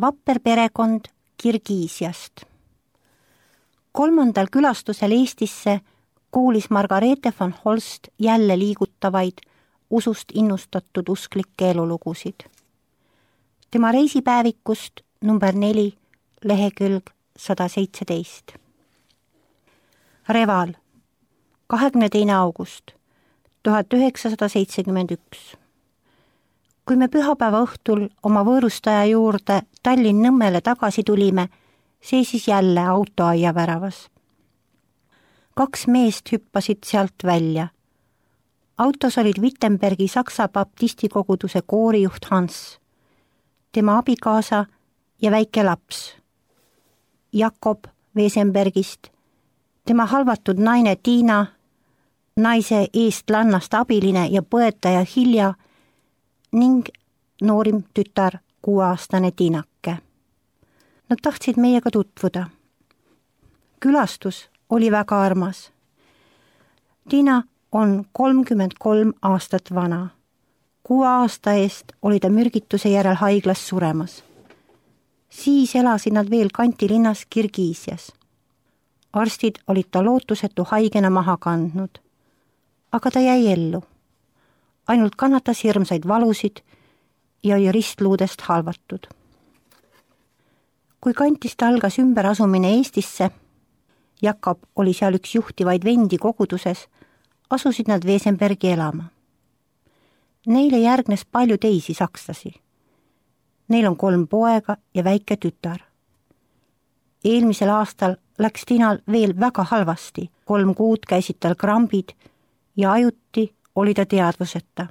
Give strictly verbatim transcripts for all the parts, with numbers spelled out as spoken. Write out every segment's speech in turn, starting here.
vapper perekond Kirgiisiast. Kolmandal külastusel Eestisse kuulis Margareete von Holst jälle liigutavaid, usust innustatud usklikke elulugusid. Tema reisipäevikust number neli, lehekülg sada seitseteist. Reval, kahekümne teine august tuhat üheksasada seitsekümmend üks. Kui me pühapäeva õhtul oma võõrustaja juurde Tallinn-Nõmmele tagasi tulime, seisis jälle auto aia väravas. Kaks meest hüppasid sealt välja. Autos olid Wittenbergi Saksa baptistikoguduse koorijuht Hans, tema abikaasa ja väike laps, Jakob Wesenbergist, tema halvatud naine Tiina, naise eestlannast abiline ja põetaja Hilja ning noorim tütar, kuueaastane Tiinake. Nad tahtsid meiega tutvuda. Külastus oli väga armas. Tiina on kolmkümmend kolm aastat vana. Kuue aasta eest oli ta mürgituse järel haiglas suremas. Siis elasid nad veel kantilinnas Kirgiisias. Arstid olid ta lootusetu haigena maha kandnud. Aga ta jäi ellu. Ainult kannatas hirmsaid valusid ja oli ristluudest halvatud. Kui kantist algas ümberasumine Eestisse, Jakob oli seal üks juhtivaid vendi koguduses, asusid nad Wesenbergi elama. Neile järgnes palju teisi sakslasi. Neil on kolm poega ja väike tütar. Eelmisel aastal läks Tiinal veel väga halvasti, kolm kuud käisid tal krambid ja ajuti oli ta teadvuseta.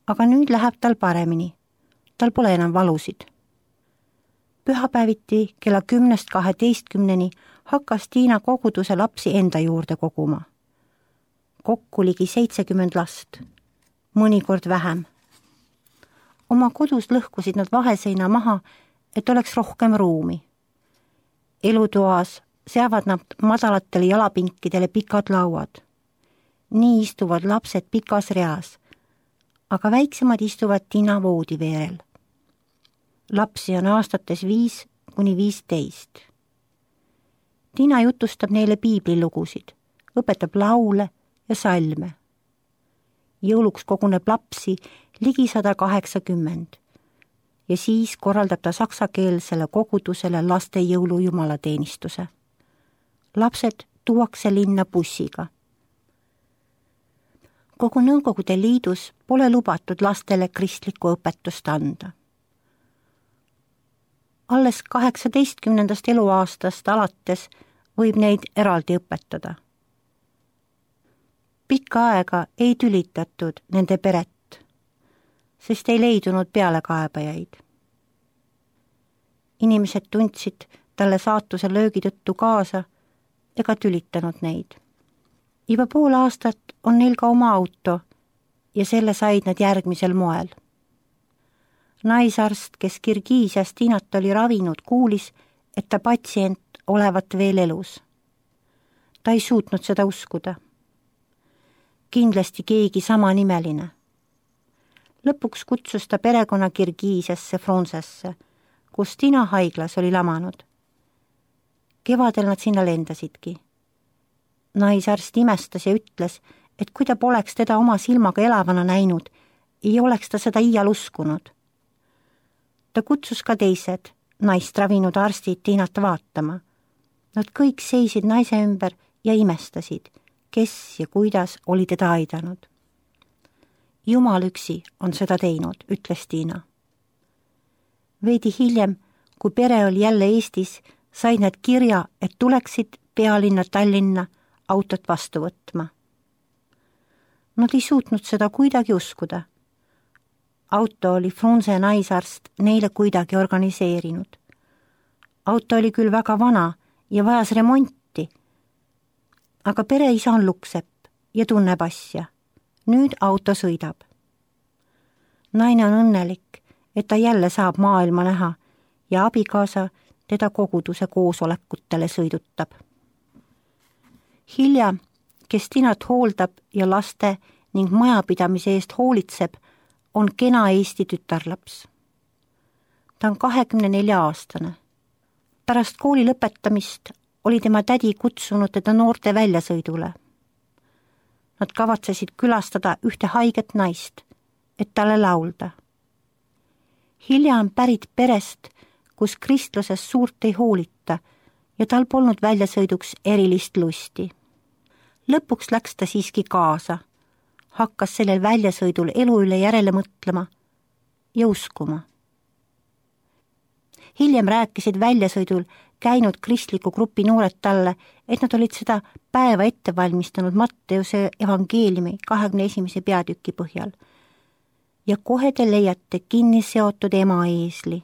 Aga nüüd läheb tal paremini. Tal pole enam valusid. Pühapäeviti kella kümnest kaheteistkümneni hakkas Tiina koguduse lapsi enda juurde koguma. Kokku ligi seitsekümmend last, mõnikord vähem. Oma kodus lõhkusid nad vaheseina maha, et oleks rohkem ruumi. Elutoas seavad nad madalatele jalapinkidele pikad lauad. Nii istuvad lapsed pikas reas, aga väiksemad istuvad Tiina voodiveerel. Lapsi on aastates viis kuni viisteist. Tiina jutustab neile piiblilugusid, õpetab laule ja salme. Jõuluks koguneb lapsi ligi sada kaheksakümmend ja siis korraldab ta saksakeelsele kogudusele laste jõulujumalateenistuse. Lapsed tuuakse linna bussiga. Kogu Nõukogude Liidus pole lubatud lastele kristlikku õpetust anda. Alles kaheksateistkümnendast eluaastast alates võib neid eraldi õpetada. Pikka aega ei tülitatud nende peret, sest ei leidunud pealekaebajaid. Inimesed tundsid talle saatuse löögi tõttu kaasa ega tülitanud neid. Juba pool aastat on neil ka oma auto ja selle said nad järgmisel moel. Naisarst, kes Kirgiisias Tiinat oli ravinud, kuulis, et ta patsient olevat veel elus. Ta ei suutnud seda uskuda. Kindlasti keegi sama nimeline. Lõpuks kutsus ta perekonna Kirgiisiasse Fronsesse, kus Tiina haiglas oli lamanud. Kevadel nad sinna lendasidki. Naisarst imestas ja ütles, et kui ta poleks teda oma silmaga elavana näinud, ei oleks ta seda iial uskunud. Ta kutsus ka teised naist ravinud arstid Tiinat vaatama. Nad kõik seisid naise ümber ja imestasid, kes ja kuidas oli teda aidanud. Jumal üksi on seda teinud, ütles Tiina. Veidi hiljem, kui pere oli jälle Eestis, said nad kirja, et tuleksid pealinna Tallinna autot vastu võtma. Nad ei suutnud seda kuidagi uskuda. Auto oli Frunze naisarst neile kuidagi organiseerinud. Auto oli küll väga vana ja vajas remonti, aga pereisa on luksepp ja tunneb asja. Nüüd auto sõidab. Naine on õnnelik, et ta jälle saab maailma näha ja abikaasa teda koguduse koosolekutele sõidutab. Hilja, kes Tiinat hooldab ja laste ning majapidamise eest hoolitseb, on kena Eesti tütarlaps. Ta on kahekümne nelja aastane. Pärast kooli lõpetamist oli tema tädi kutsunud teda noorte väljasõidule. Nad kavatsesid külastada ühte haiget naist, et talle laulda. Hilja on pärit perest, kus kristluses suurt ei hoolita ja tal polnud väljasõiduks erilist lusti. Lõpuks läks ta siiski kaasa, hakkas sellel väljasõidul elu üle järele mõtlema ja uskuma. Hiljem rääkisid väljasõidul käinud kristliku grupi noored talle, et nad olid seda päeva ette valmistanud Matteuse evangeeliumi kahekümne esimese peatüki põhjal. Ja kohe te leiate kinni seotud ema eesli.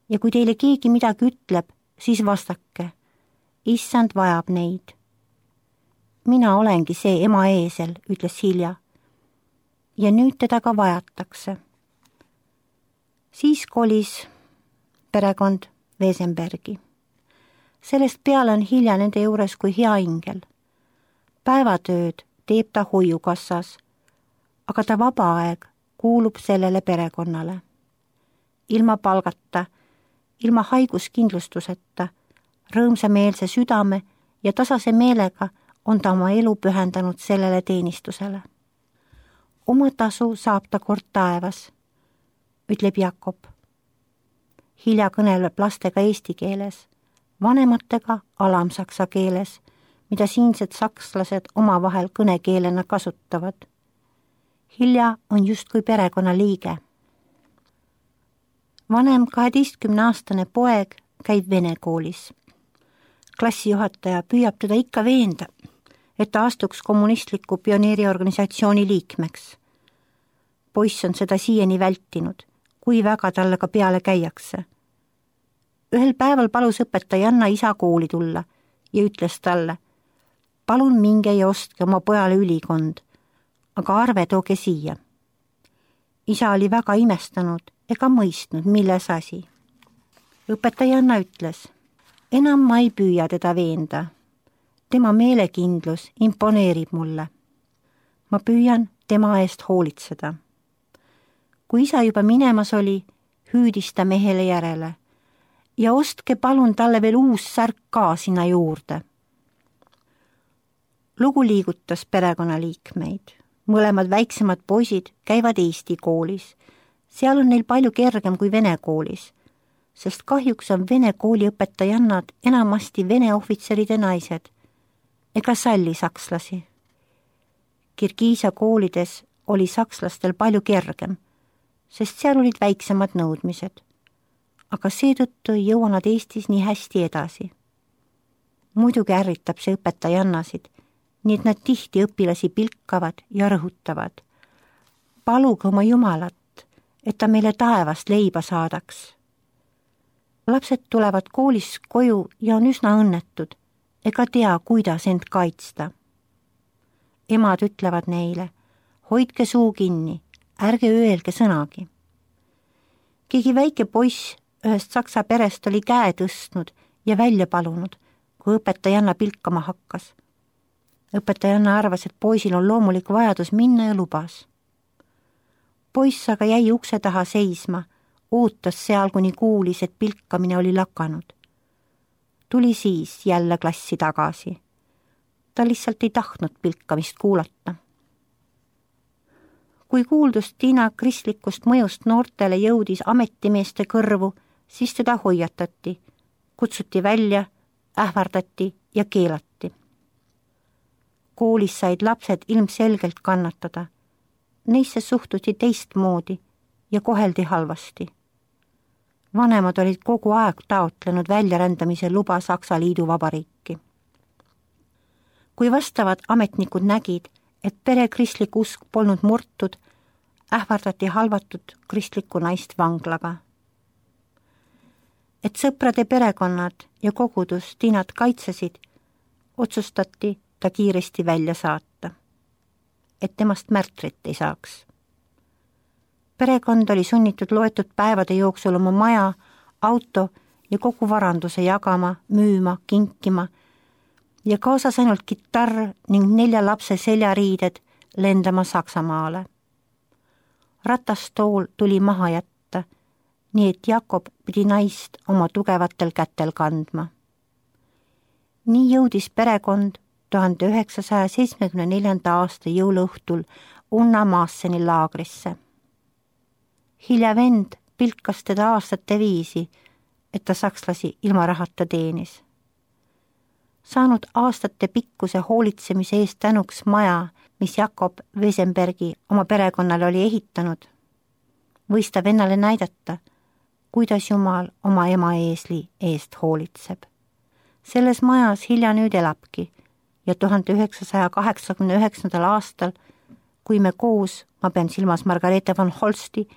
Ja kui teile keegi midagi ütleb, siis vastake, issand vajab neid. Mina olengi see ema eesel, ütles Hilja. Ja nüüd teda ka vajatakse. Siis kolis perekond Wesenbergi. Sellest peale on Hilja nende juures kui hea ingel. Päevatööd teeb ta hoiukassas, aga ta vaba aeg kuulub sellele perekonnale. Ilma palgata, ilma haiguskindlustuseta, rõõmsameelse südame ja tasase meelega on ta oma elu pühendanud sellele teenistusele. Oma tasu saab ta kord taevas, ütleb Jakob. Hilja kõneleb lastega eesti keeles, vanematega alamsaksa keeles, mida siinsed sakslased omavahel kõnekeelena kasutavad. Hilja on justkui perekonna liige. Vanem kaheteistkümneaastane poeg käib vene koolis. Klassijuhataja püüab teda ikka veenda, et ta astuks kommunistliku pioneeriorganisatsiooni liikmeks. Poiss on seda siiani vältinud, kui väga talle ka peale käiakse. Ühel päeval palus õpetajanna isa kooli tulla ja ütles talle, palun minge ja ostke oma pojale ülikond, aga arve tooge siia. Isa oli väga imestanud ega mõistnud, milles asi. Õpetajanna ütles, enam ma ei püüa teda veenda. Tema meelekindlus imponeerib mulle. Ma püüan tema eest hoolitseda. Kui isa juba minemas oli, hüüdis ta mehele järele ja ostke palun talle veel uus särk ka sinna juurde. Lugu liigutas perekonnaliikmeid. Mõlemad väiksemad poisid käivad Eesti koolis. Seal on neil palju kergem kui vene koolis, sest kahjuks on vene kooli õpetajannad enamasti vene ohvitseride naised ega salli sakslasi. Kirgiisa koolides oli sakslastel palju kergem, sest seal olid väiksemad nõudmised, aga seetõttu ei jõua nad Eestis nii hästi edasi. Muidugi ärritab see õpetajannasid, nii et nad tihti õpilasi pilkavad ja rõhutavad. Paluge oma Jumalat, et ta meile taevast leiba saadaks. Lapsed tulevad koolis koju ja on üsna õnnetud, ega tea, kuidas end kaitsta. Emad ütlevad neile, hoidke suu kinni, ärge öelge sõnagi. Keegi väike poiss ühest saksa perest oli käe tõstnud ja välja palunud, kui õpetajanna pilkama hakkas. Õpetajanna arvas, et poisil on loomulik vajadus minna ja lubas. Poiss aga jäi ukse taha seisma, ootas seal, kuni kuulis, et pilkamine oli lakanud. Tuli siis jälle klassi tagasi. Ta lihtsalt ei tahtnud pilkamist kuulata. Kui kuuldus Tiina kristlikust mõjust noortele jõudis ametimeeste kõrvu, siis teda hoiatati, kutsuti välja, ähvardati ja keelati. Koolis said lapsed ilmselgelt kannatada. Neisse suhtuti teistmoodi ja koheldi halvasti. Vanemad olid kogu aeg taotlenud väljarändamise luba Saksa Liiduvabariiki. Kui vastavad ametnikud nägid, et pere kristlik usk polnud murtud, ähvardati halvatud kristlikku naist vanglaga. Et sõprade perekonnad ja kogudus Tiinat kaitsesid, otsustati ta kiiresti välja saata, et temast märtrit ei saaks. Perekond oli sunnitud loetud päevade jooksul oma maja, auto ja kogu varanduse jagama, müüma, kinkima ja kaasas ainult kitarr ning nelja lapse seljariided lendama Saksamaale. Ratastool tuli maha jätta nii et Jakob pidi naist oma tugevatel kätel kandma. nii jõudis perekond tuhande üheksasaja seitsmekümne neljanda aasta jõuluõhtul Unna Maasseni laagrisse. Hilja vend pilkas teda aastate viisi, et ta sakslasi ilma rahata teenis. Saanud aastate pikkuse hoolitsemise eest tänuks maja, mis Jakob Wesenbergi oma perekonnale oli ehitanud, võis ta vennale näidata, kuidas Jumal oma ema eesli eest hoolitseb. Selles majas Hilja nüüd elabki ja tuhande üheksasaja kaheksakümne üheksandal aastal, kui me koos, ma pean silmas Margareete von Holsti,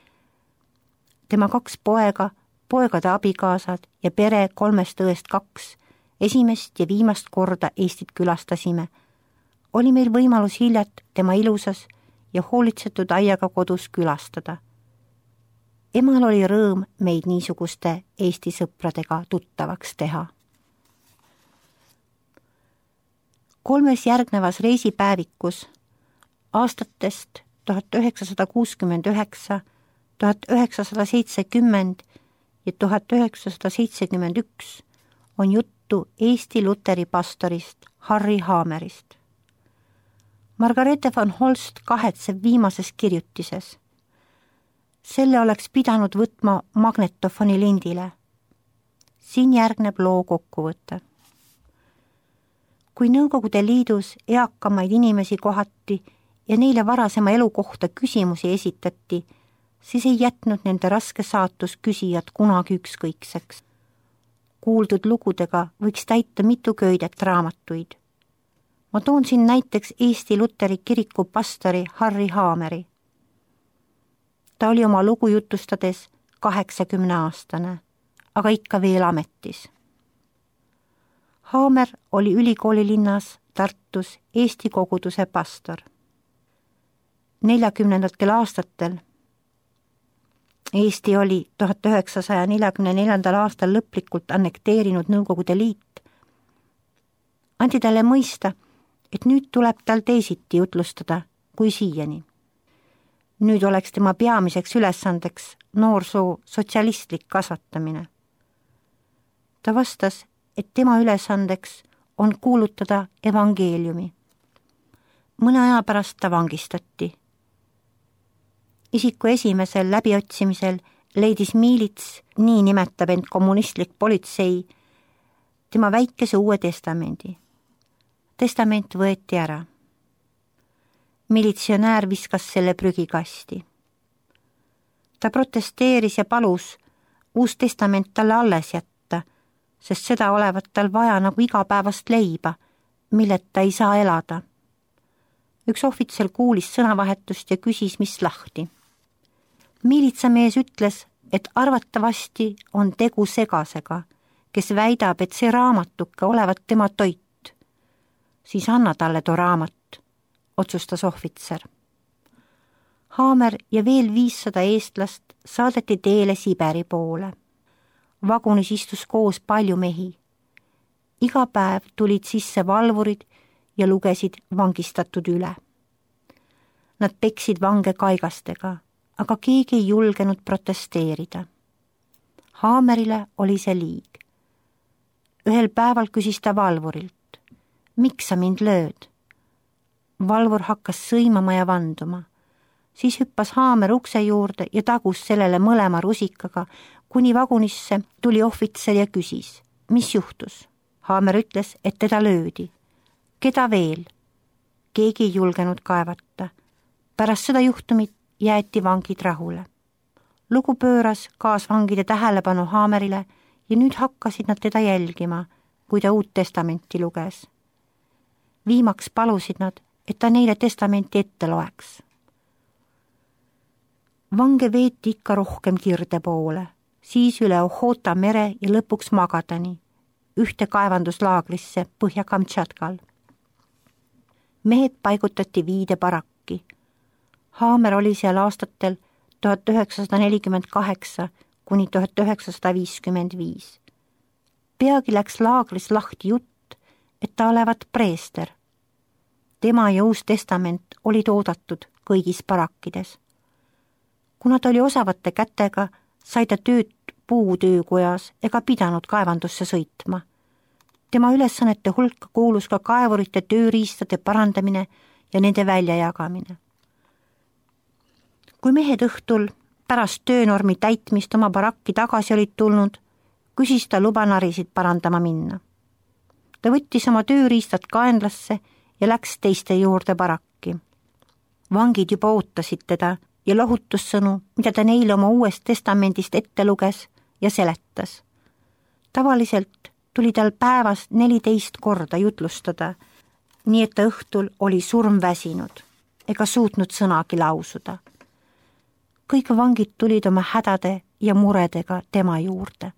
tema kaks poega, poegade abikaasad ja pere kolmest õest kaks, esimest ja viimast korda Eestit külastasime, oli meil võimalus Hiljat tema ilusas ja hoolitsetud aiaga kodus külastada. Emal oli rõõm meid niisuguste Eesti sõpradega tuttavaks teha. Kolmes järgnevas reisipäevikus aastatest tuhat üheksasada kuuskümmend üheksa, tuhat üheksasada seitsekümmend ja tuhat üheksasada seitsekümmend üks on juttu Eesti luteri pastorist Harry Haamerist. Margareete von Holst kahetseb viimases kirjutises. Selle oleks pidanud võtma magnetofoni lindile. Siin järgneb loo kokkuvõte. Kui Nõukogude Liidus eakamaid inimesi kohati ja neile varasema elu kohta küsimusi esitati, siis ei jätnud nende raske saatus küsijad kunagi ükskõikseks. Kuuldud lugudega võiks täita mitu köidet raamatuid. Ma toon siin näiteks Eesti Luteri kiriku pastori Harry Haameri. Ta oli oma lugu jutustades kaheksakümne aastane, aga ikka veel ametis. Haamer oli ülikooli linnas Tartus Eesti koguduse pastor. neljakümnendatel aastatel Eesti oli tuhat üheksasaja neljakümne neljandal aastal lõplikult annekteerinud Nõukogude Liit. Andi talle mõista, et nüüd tuleb tal teisiti jutlustada kui siiani. Nüüd oleks tema peamiseks ülesandeks noorsoo sotsialistlik kasvatamine. Ta vastas, et tema ülesandeks on kuulutada evangeeliumi. Mõne aja pärast ta vangistati. Isiku esimesel läbiotsimisel leidis miilits, nii nimetab end kommunistlik politsei, tema väikese uue testamendi. Testament võeti ära. Militsionäär viskas selle prügikasti. Ta protesteeris ja palus uus testament talle alles jätta, sest seda olevat tal vaja nagu igapäevast leiba, milleta ei saa elada. Üks ohvitser kuulis sõnavahetust ja küsis, mis lahti. Miilitsamees ütles, et arvatavasti on tegu segasega, kes väidab, et see raamatuke olevat tema toit. Siis anna talle too raamat, otsustas ohvitser. Haamer ja veel viissada eestlast saadeti teele Siberi poole. Vagunis istus koos palju mehi. Iga päev tulid sisse valvurid ja lugesid vangistatud üle. Nad peksid vange kaigastega, aga keegi ei julgenud protesteerida. Haamerile oli see liig. Ühel päeval küsis ta valvurilt, miks sa mind lööd? Valvur hakkas sõimama ja vanduma. Siis hüppas Haamer ukse juurde ja tagus sellele mõlema rusikaga, kuni vagunisse tuli ohvitser ja küsis, mis juhtus? Haamer ütles, et teda löödi. Keda veel? Keegi ei julgenud kaevata. Pärast seda juhtumit jäeti vangid rahule. Lugu pööras kaasvangide tähelepanu Haamerile ja nüüd hakkasid nad teda jälgima, kui ta uut testamenti luges. Viimaks palusid nad, et ta neile testamenti ette loeks. Vange veeti ikka rohkem Kirde poole, siis üle Ohota mere ja lõpuks Magadani, ühte kaevanduslaagrisse Põhja-Kamtšatkal. Mehed paigutati viide barakki. Haamer oli seal aastatel tuhat üheksasada nelikümmend kaheksa kuni tuhat üheksasada viiskümmend viis. Peagi läks laagris lahti jutt, et ta olevat preester. Tema ja uus testament olid oodatud kõigis barakkides. Kuna ta oli osavate kätega, sai ta tööd puutöökojas ega pidanud kaevandusse sõitma. Tema ülesannete hulka kuulus ka kaevurite tööriistade parandamine ja nende väljajagamine. Kui mehed õhtul pärast töönormi täitmist oma barakki tagasi olid tulnud, küsis ta luba narisid parandama minna. Ta võttis oma tööriistad kaenlasse ja läks teiste juurde barakki. Vangid juba ootasid teda ja lohutussõnu, mida ta neile oma uuest testamendist ette luges ja seletas. Tavaliselt tuli tal päevas neliteist korda jutlustada, nii et ta õhtul oli surmväsinud ega suutnud sõnagi lausuda. Kõik vangid tulid oma hädade ja muredega tema juurde.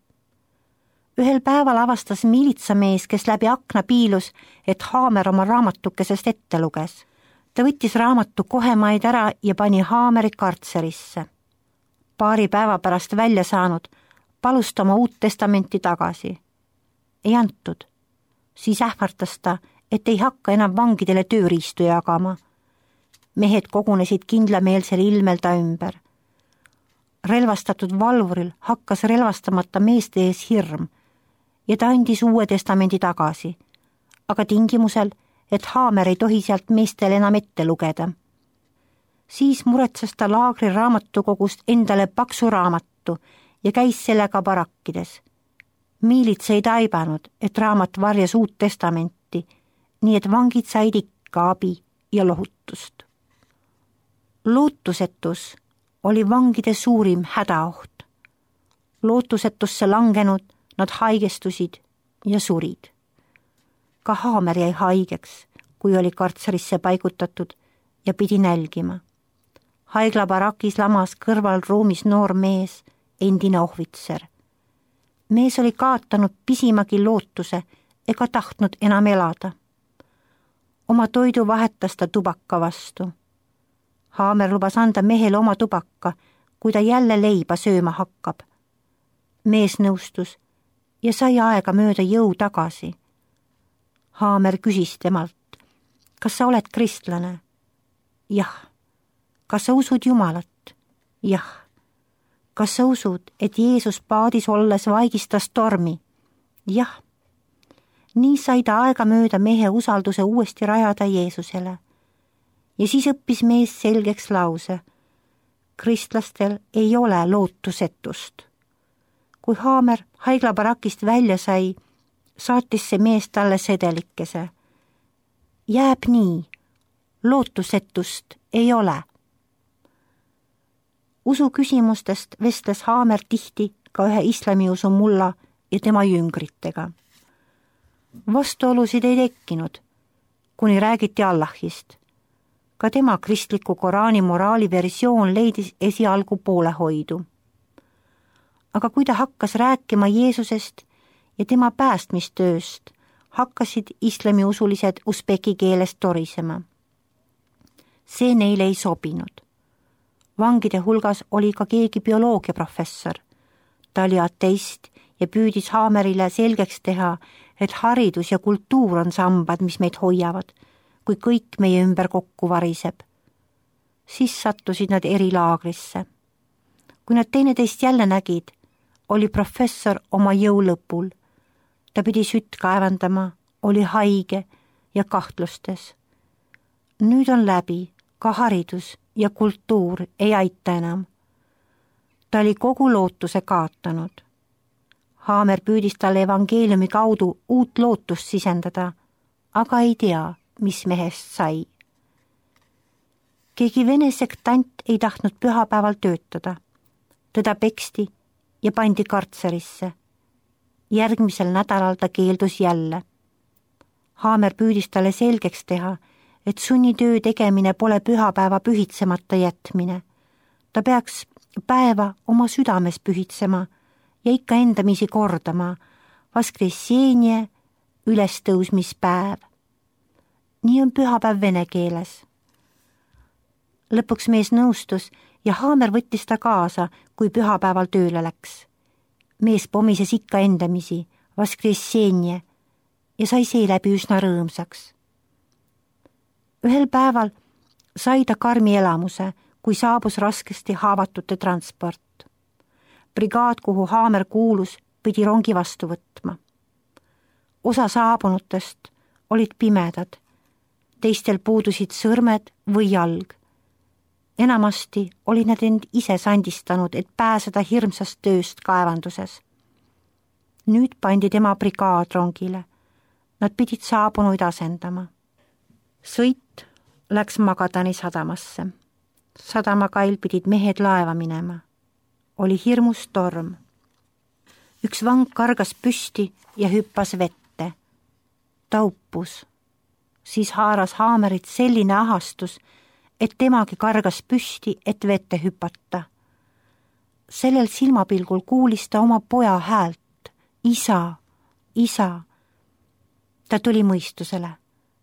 Ühel päeval avastas miilitsamees, kes läbi akna piilus, et Haamer oma raamatukesest ette luges. Ta võttis raamatu kohemaid ära ja pani Haameri kartserisse. Paari päeva pärast välja saanud, palus ta oma uut testamenti tagasi. Ei antud. Siis ähvartas ta, et ei hakka enam vangidele tööriistu jagama. Mehed kogunesid kindlameelsel ilmel ta ümber. Relvastatud valvuril hakkas relvastamata meeste ees hirm ja ta andis uue testamendi tagasi, aga tingimusel, et Haamer ei tohi sealt meestel enam ette lugeda. Siis muretses ta laagri raamatukogust endale paksu raamatu ja käis sellega barakkides. Miilits ei taibanud, et raamat varjas uut testamenti, nii et vangid said ikka abi ja lohutust. Lootusetus oli vangide suurim hädaoht. Lootusetusse langenud nad haigestusid ja surid. Ka Haamer jäi haigeks, kui oli kartserisse paigutatud ja pidi nälgima. Haigla barakis lamas kõrval ruumis noor mees, endine ohvitser. Mees oli kaotanud pisimagi lootuse ega tahtnud enam elada. Oma toidu vahetas ta tubaka vastu. Haamer lubas anda mehele oma tubaka, kui ta jälle leiba sööma hakkab. Mees nõustus ja sai aega mööda jõu tagasi. Haamer küsis temalt, kas sa oled kristlane? Jah. Kas sa usud Jumalat? Jah. Kas sa usud, et Jeesus paadis olles vaigistas tormi? Jah. Nii sai ta aega mööda mehe usalduse uuesti rajada Jeesusele. Ja siis õppis mees selgeks lause. Kristlastel ei ole lootusetust. Kui Haamer haiglabarakist välja sai, saatis see mees talle sedelikese. Jääb nii, lootusetust ei ole. Usu küsimustest vestles Haamer tihti ka ühe islamiusu mulla ja tema jüngritega. Vastuolusid ei tekkinud, kuni räägiti Allahist. Ka tema kristliku Koraani moraali versioon leidis esialgu poolehoidu. Aga kui ta hakkas rääkima Jeesusest ja tema päästmistööst, hakkasid islamiusulised usbeki keeles torisema. See neile ei sobinud. Vangide hulgas oli ka keegi bioloogiaprofessor. Ta oli ateist ja püüdis Haamerile selgeks teha, et haridus ja kultuur on sambad, mis meid hoiavad, kui kõik meie ümber kokku variseb. Siis sattusid nad eri laagrisse. Kui nad teineteist jälle nägid, oli professor oma jõu lõpul. Ta pidi sütt kaevandama, oli haige ja kahtlustes. Nüüd on läbi, ka haridus ja kultuur ei aita enam. Ta oli kogu lootuse kaotanud. Haamer püüdis talle evangeeliumi kaudu uut lootust sisendada, aga ei tea, mis mehest sai. Keegi vene sektant ei tahtnud pühapäeval töötada. Teda peksti ja pandi kartserisse. Järgmisel nädalal ta keeldus jälle. Haamer püüdis talle selgeks teha, et sunnitöö tegemine pole pühapäeva pühitsemata jätmine. Ta peaks päeva oma südames pühitsema ja ikka endamisi kordama vaskressenje ülestõusmispäev. Nii on pühapäev vene keeles. Lõpuks mees nõustus ja Haamer võttis ta kaasa, kui pühapäeval tööle läks. Mees pomises ikka endamisi, vaskressenje, ja sai seeläbi üsna rõõmsaks. Ühel päeval sai ta karmi elamuse, kui saabus raskesti haavatute transport. brigaad, kuhu Haamer kuulus, pidi rongi vastu võtma. Osa saabunutest olid pimedad, teistel puudusid sõrmed või jalg. Enamasti olid nad end ise sandistanud, et pääseda hirmsast tööst kaevanduses. Nüüd pandi tema brigaad rongile. Nad pidid saabunuid asendama. Sõit läks Magadani sadamasse. Sadamakail pidid mehed laeva minema. Oli hirmus torm. Üks vang kargas püsti ja hüppas vette. Ta uppus. Siis haaras Haamerit selline ahastus, et temagi kargas püsti, et vette hüpata. Sellel silmapilgul kuulis ta oma poja häält. Isa, isa. Ta tuli mõistusele.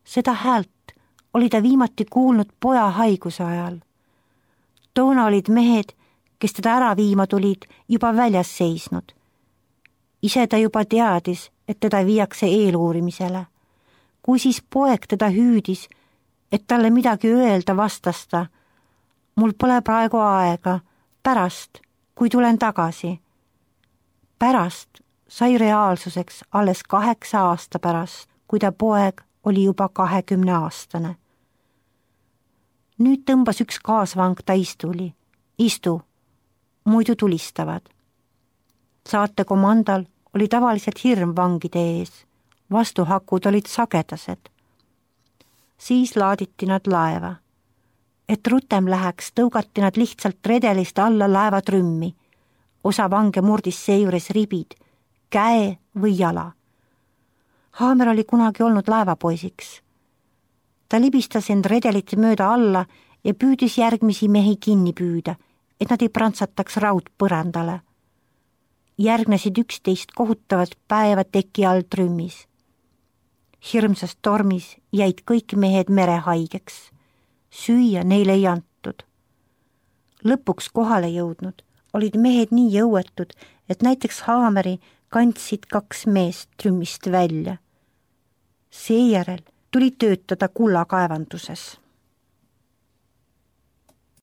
Seda häält oli ta viimati kuulnud poja haiguse ajal. Toona olid mehed, kes teda ära viima tulid, juba väljas seisnud. Ise ta juba teadis, et teda viiakse eeluurimisele. Kui siis poeg teda hüüdis, et talle midagi öelda, vastas ta: mul pole praegu aega, pärast, kui tulen tagasi. Pärast sai reaalsuseks alles kaheksa aasta pärast, kui ta poeg oli juba kahekümne aastane. Nüüd tõmbas üks kaasvang ta istuli. Istu, muidu tulistavad. Saate komandal oli tavaliselt hirm vangide ees. Vastuhakud olid sagedased. Siis laaditi nad laeva. Et rutem läheks, tõugati nad lihtsalt redelist alla laeva trümmi. Osa vange murdis seejuures ribid, käe või jala. Haamer oli kunagi olnud laevapoisiks. Ta libistas end redelite mööda alla ja püüdis järgmisi mehi kinni püüda, et nad ei prantsataks raudpõrandale. Järgnesid üksteist kohutavat päeva teki all trümmis. Hirmsas tormis jäid kõik mehed merehaigeks. Süüa neile ei antud. Lõpuks kohale jõudnud olid mehed nii jõuetud, et näiteks Haameri kandsid kaks meest trümmist välja. Seejärel tuli töötada kullakaevanduses.